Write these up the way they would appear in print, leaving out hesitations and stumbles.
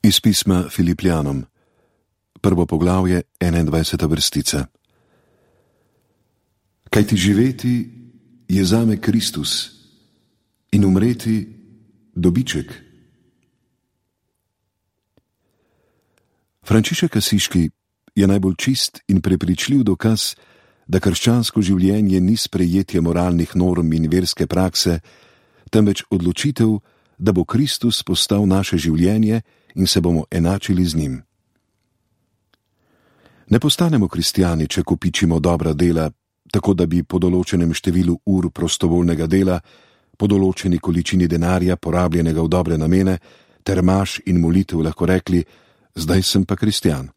Iz pisma Filipljanom, 1. poglavje, 21. vrstica. Kajti živeti je zame Kristus in umreti dobiček. Frančišek Asiški je najbolj čist in prepričljiv dokaz, da krščansko življenje ni sprejetje moralnih norm in verske prakse, temveč odločitev, da bo Kristus postal naše življenje in se bomo enačili z njim. Ne postanemo kristjani, če kopičimo dobra dela, tako da bi po določenem številu ur prostovoljnega dela, po določeni količini denarja, porabljenega v dobre namene, ter maš in molitev lahko rekli: zdaj sem pa kristjan.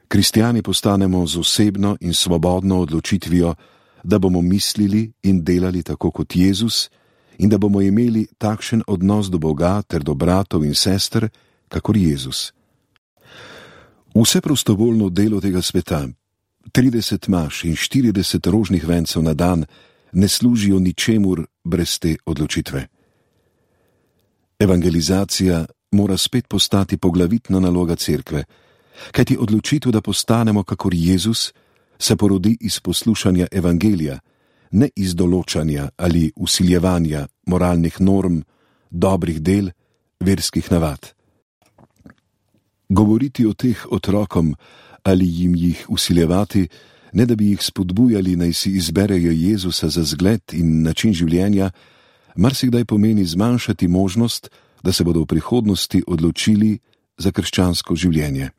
Kristjani postanemo z osebno in svobodno odločitvijo, da bomo mislili in delali tako kot Jezus in da bomo imeli takšen odnos do Boga ter do bratov in sester, kakor Jezus. Vse prostovoljno delo tega sveta, 30 maš in 40 rožnih vencev na dan, ne služijo ničemur brez te odločitve. Evangelizacija mora spet postati poglavitna naloga cerkve, kajti odločitev, da postanemo kakor Jezus, se porodi iz poslušanja evangelija, ne iz določanja ali vsiljevanja moralnih norm, dobrih del, verskih navad. Govoriti o teh otrokom ali jim jih vsiljevati, ne da bi jih spodbujali, naj si izberejo Jezusa za zgled in način življenja, marsikdaj pomeni zmanjšati možnost, da se bodo v prihodnosti odločili za krščansko življenje.